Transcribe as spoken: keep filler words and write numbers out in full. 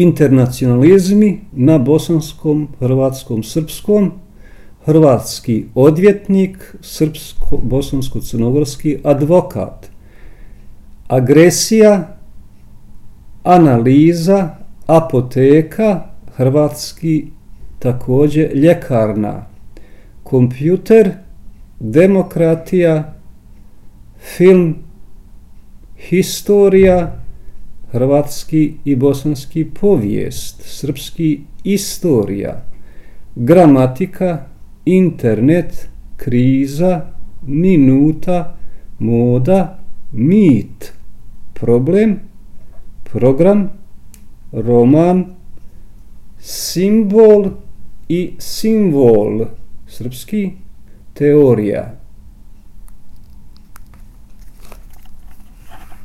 internacionalizmi na bosanskom, hrvatskom, srpskom, hrvatski odvjetnik, srpsko, bosansko-crnogorski advokat, agresija, analiza, apoteka, hrvatski također ljekarna, kompjuter, demokratija, film, historija, hrvatski i bosanski povijest, srpski istorija, gramatika, internet, kriza, minuta, moda, mit, problem, program, roman, simbol i simbol, srpski, teorija.